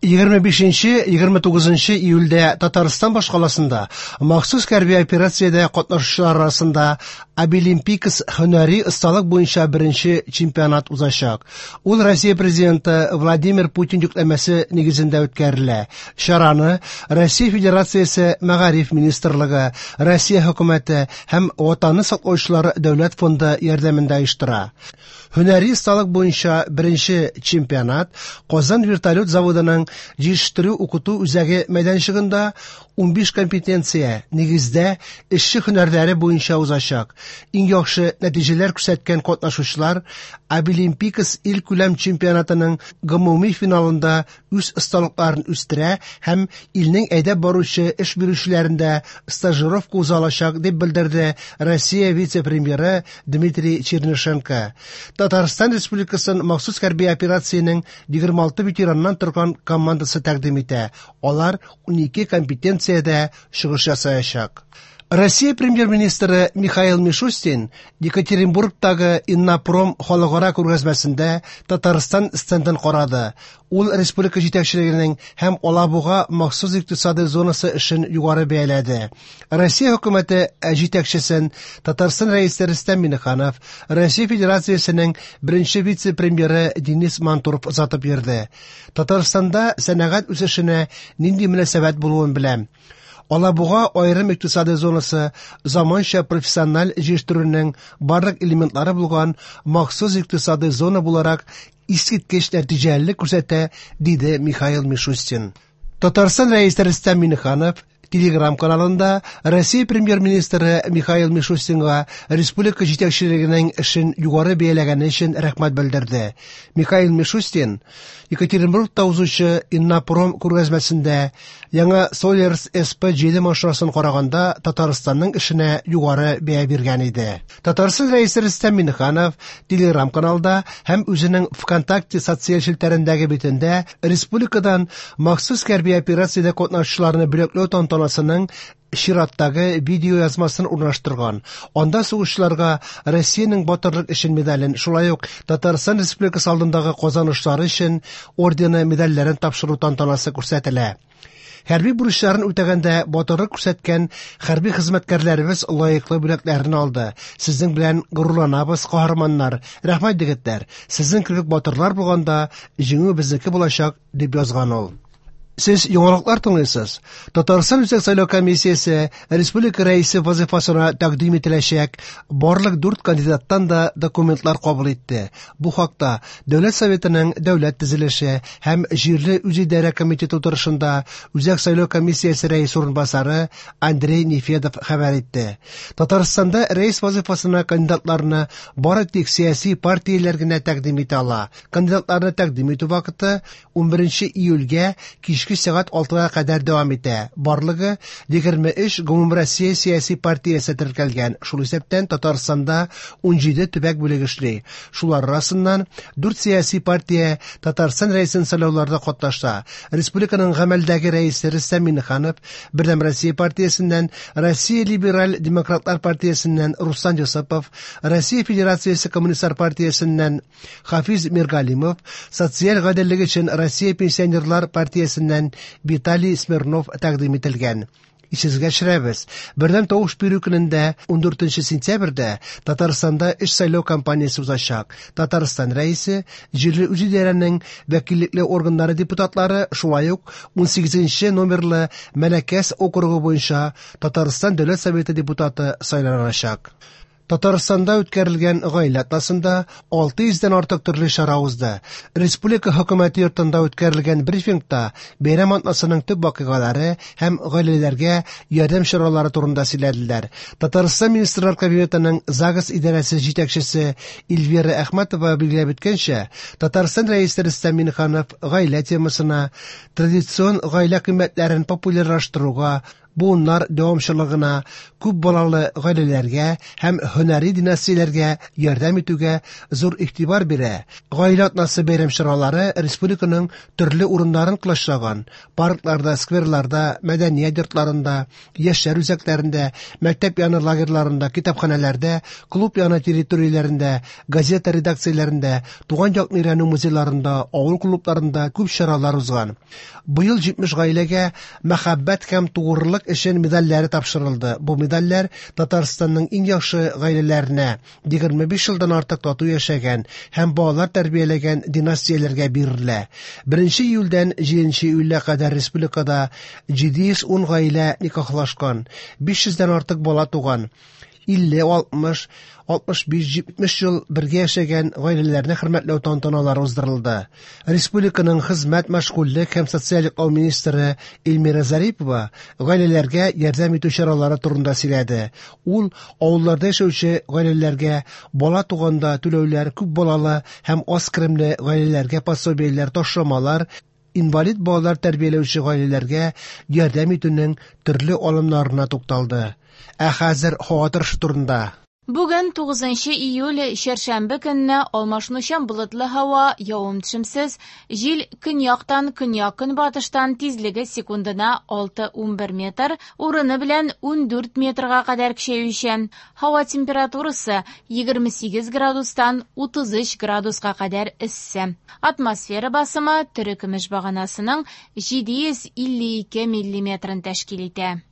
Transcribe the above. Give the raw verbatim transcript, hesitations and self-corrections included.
Егерме бишенче, егерме тугызынчы июльдә Татарстан башкаласында махсус хәрби операциядә катнашучылар арасында Абилимпикс һөнәри осталык буенча беренче чемпионат узачак. Ул Россия президенты Владимир Путин йөкләмәсе нигезендә үткәрелә. Чараны Россия Федерациясе Мәгариф министрлыгы, Россия хөкүмәте һәм Ватанны саклаучылар дәүләт фонды ярдәмендә оештыра. Һөнәри осталык буенча беренче чемпионат Казан вертолет заводының җитештерү укыту үзәге мәйданчыгында унбиш компетенция нигездә эшче һөнәрләре буенча узачак. Иң яхшы нәтиҗәләр күрсәткән катнашучылар Абилимпикс ил күләм чемпионатының гомуми финалында үз осталыкларын үстерә һәм илнең әйдәп баручы эш бирүчеләрендә стажировка уза алачак, дип белдерде Россия вице-премьеры Дмитрий Чернышенко. Татарстан Республикасын махсус хәрби операциянең егерме алты ветераннан торган командасы тәкъдим итә. Алар унике компетенциядә чыгыш ясаячак. Россия премьер-министры Михаил Мишустин Екатеринбургтагы Иннопром халыкара күргәзмәсендә Татарстан стендын карады. Ул республика җитәкчелегенең һәм Алабуга махсус икътисади зонасы эшен югары бәяләде. Россия хөкүмәте җитәкчесен Татарстан рәисе Рөстәм Миңнеханов, Россия Федерациясенең беренче вице-премьеры Денис Мантуров озатып йөрде. Татарстанда сәнәгать үсешенә нинди мөнәсәбәт булуын беләм. Алабуга аерым икътисади зонасы заманча профессиональ җитештерүнең барлык элементлары булган махсус икътисади зона буларак искиткеч нәтиҗәлелек күрсәтә, диде Михаил Мишустин. Татарстан рәисе Рөстәм Миңнеханов Телеграм каналында Россия премьер-министры Михаил Мишустинга республика җитәкчелегенең эшен югары бәяләгәне өчен рәхмәт белдерде. Михаил Мишустин Екатеринбургта узучы Иннопром күргәзмәсендә яңа Соллерс эс пэ җиде машинасын караганда Татарстанның эшенә югары бәя биргән иде. Татарстан рәисе Рөстәм Миңнеханов Телеграм каналда һәм үзенең ВКонтакте социаль челтәрендәге битендә республикадан махсус хәрби операциядә катнашучыларны бүләкләү тантанасының чираттагы видео язмасын урнаштырган. Анда сугышчыларга Россиянең батырлык өчен медален, шулай ук Татарстан Республикасы алдындагы казанышлары өчен ордены медальләрен тапшыру тантанасы күрсәтелә. Хәрби бурычларын үтәгәндә батырлык күрсәткән хәрби хезмәткәрләребез лаеклы бүләкләрен алды. Сезнең белән горурланабыз, каһарманнар. Рәхмәт, егетләр. Сезнең кебек батырлар булганда җиңү безнеке булачак, дип язган ул. Сез яңалыклар тыңлыйсыз. Татарстан Үзәк сайлау комиссиясе республика рәисе вазифасына тәкъдим ителәчәк барлык дүрт кандидаттан да документлар кабул итте. Бу хакта Дәүләт Советының Дәүләт төзелеше һәм җирле үзидарә комитеты утырышында Үзәк сайлау комиссиясе рәисе урынбасары Андрей Нефедов хәбәр итте. Татарстанда рәис вазифасына кандидатларны бары тик сәяси партияләр генә тәкъдим итә ала. Кандидатларны тәкъдим итү вакыты унберенче июльгә кичке сәгать алтыга кадәр дәвам итә. Барлыгы егерме өч Гомумроссия сәяси партиясе теркәлгән. Шул исәптән Татарстанда унҗиде төбәк бүлеге эшли. Шулар арасыннан дүрт сәяси партия Татарстан рәисен сайлауларда катнаша. Республиканың гамәлдәге рәисе Рөстәм Миңнеханов, Бердәм Россия партиясеннән, Россия Либераль Демократлар партиясеннән Руслан Йосыпов, Россия Федерациясе Коммунистлар партиясеннән Хафиз Миргалимов, Социаль гаделлек өчен Россия Пенсионерлар партиясеннән Виталий Смирнов тәкъдим ителгән. Исегезгә төшерәбез. Бердәм тавыш бирү көнендә ундүртенче сентябрьдә Татарстанда өч сайлау кампаниясе узачак. Татарстан рәисе, җирле үзидарәнең вәкиллекле органнары депутатлары, шулай ук унсигезенче номерлы Мәләкәс округы буенча Татарстан Дәүләт Советы депутаты сайланачак. Татарстанда үткәрелгән гаилә атнасында алты йөздән артык төрле чара узды. Республика хөкүмәте йортында үткәрелгән брифингта бәйрәм атнасының төп вакыйгалары һәм гаиләләргә ярдәм чаралары турында сөйләделәр. Татарстан Министрлар Кабинетының ЗАГС идарәсе җитәкчесе Эльвира Әхмәтова билгеләп үткәнчә, Татарстан Рәисе Рөстәм Миңнеханов гаилә темасына, традицион гаилә кыйммәтләрен популярлаштыруга, Буыннар дәвамчылыгына, күп балалы гаиләләргә һәм һөнәри династияләргә ярдәм итүгә зур игътибар бирә. Гаилә атнасы бәйрәм чаралары республиканың төрле урыннарын колачлаган: паркларда, скверларда, мәдәният йортларында, яшьләр үзәкләрендә, мәктәп яны лагерьларында, китапханәләрдә, клуб яны территорияләрендә, газета редакцияләрендә, туган якны өйрәнү музейларында, авыл клубларында күп чаралар узган. Быел җитмеш гаиләгә Мәхәббәт һәм тугрылык өчен медальләре тапшырылды. Бу медальләр Татарстанның иң яхшы гаиләләренә, егерме биш елдан артык тату яшәгән һәм балалар тәрбияләгән династияләргә бирелә. Беренче июльдән җиденче июльгә кадәр республикада җиде йөз ун гаилә никахлашкан, биш йөздән артык бала туган. Илле, алтмыш, алтмыш биш, җитмеш ел бергә яшәгән гаиләләрне хөрмәтләү тантаналары уздырылды. Республиканың хезмәт, мәшгульлек һәм социаль яклау министры Эльмира Зарипова гаиләләргә ярдәм итү чаралары турында сөйләде. Ул авылларда яшәүче гаиләләргә бала туганда түләүләр, күп балалы һәм аз керемле гаиләләргә пособиеләр, ташламалар, инвалид балалар тәрбияләүче гаиләләргә ярдәм итүнең төрле алымнарына тукталды. Ә хәзер һава торышы турында. Бүген тугызынчы июль, чәршәмбе көнне алмашынучан болытлы һава, явым-төшемсез, җил көньяктан көньяк-көнбатыштан тизлеге секундына алты унбер метр, урыны белән ундүрт метрга кадәр көчәючән. Һава температурасы егерме сигез градустан утыз өч градуска кадәр эссе. Атмосфера басымы терекөмеш баганасының җиде йөз илле ике миллиметрын тәшкил итә.